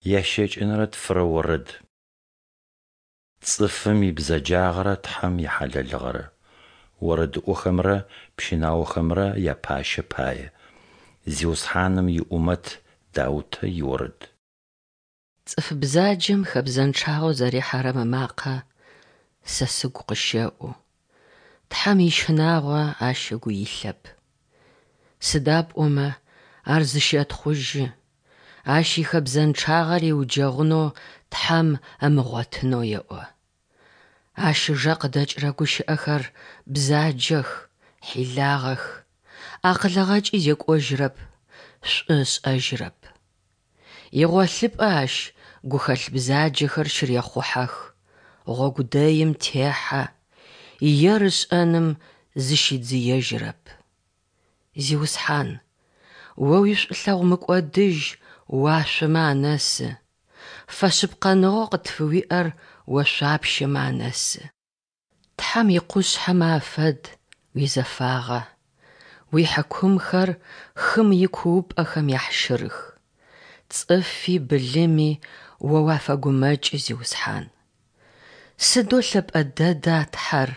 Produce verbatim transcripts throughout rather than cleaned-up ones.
Ящэкӏэнэрэ тфырэ орэд. Цӏыфым ибзэджагъэрэ Тхьэм ихьалэлыгъэрэ. Орэдыӏохэмрэ пщынаохэмрэ япащэ пае. Зиусхьаным иӏумэт Даутэ иорэд. Цӏыф бзаджэм хэбзэнчъагъэу зэрихьэрэм ымакъэ сэ сыгу къыщэӏу, Тхьэм ищынагъо ащ ыгу илъэп. Сыда пӏомэ ар зыщэтхъужьы, ащ ихэбзэнчъагъэ риуджэгъунэу Тхьэм ымыгъотынэу еӏо. Ащ ыжэ къыдэкӏырэ гущыӏэхэр бзаджэх, хьилагъэх, акъылыгъэкӏи зекӏожьырэп, шӏу ышӏэжьырэп. Игъолъыпӏэ ащ гухэлъ бзаджэхэр щырехъухьэх, гъогу дэим техьэ, ер ышӏэным зыщидзыежьырэп. Зиусхьан, О уишӏулъэгъу мыкӏодыжь уашъомэ анэсы, фэшъыпкъэныгъэу къытфыуиӏэр ошъуапщэмэ анэсы. Тхьэм икъушъхьэмэ афэд уизэфагъэ, уихьыкумхэр хым икуупӏэхэм яхьщырых. Цӏыфи былыми О уафэгумэкӏы, Зиусхьан. Сыдэу лъэпӏэ дэда, Тхьэр,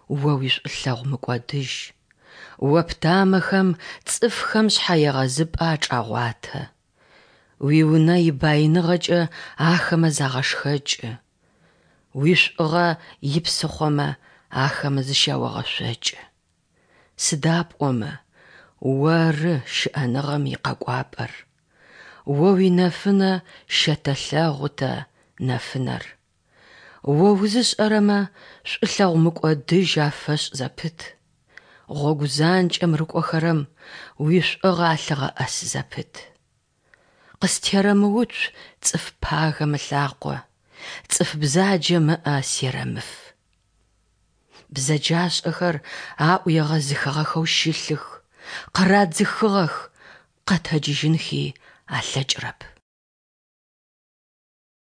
О уишӏулъэгъу мыкӏодыжь! О птамэхэм цӏыфхэм шъхьэегъэзыпӏэ ачӏагъуатэ. Уиунэ ибаиныгъэкӏэ ахэмэ загъэшхэкӏы, уишӏугъэ ипсыхъомэ ахэмэ зыщяогъэшъокӏы. Сыда пӏомэ Оры щыӏэныгъэм икъэкӏуапӏэр, О уинэфынэ щэтэлъэгъу тэ нэфынэр. О узышӏэрэмэ шӏулъэгъу мыкӏодыжь афэшӏ зэпыт, гъогу занкӏэм рыкӏохэрэм уишӏугъэ алъыгъэӏэс зэпыт. Къыстерэмыуцу цӏыф пагэм ылъакъо, цӏыф бзаджэм ыӏэ серэмыф. Бзэджашӏэхэр аӏу егъэзыхыгъэхэу щылъых, къырадзыхыгъэх, къэтэджыжьынхи алъэкӏырэп.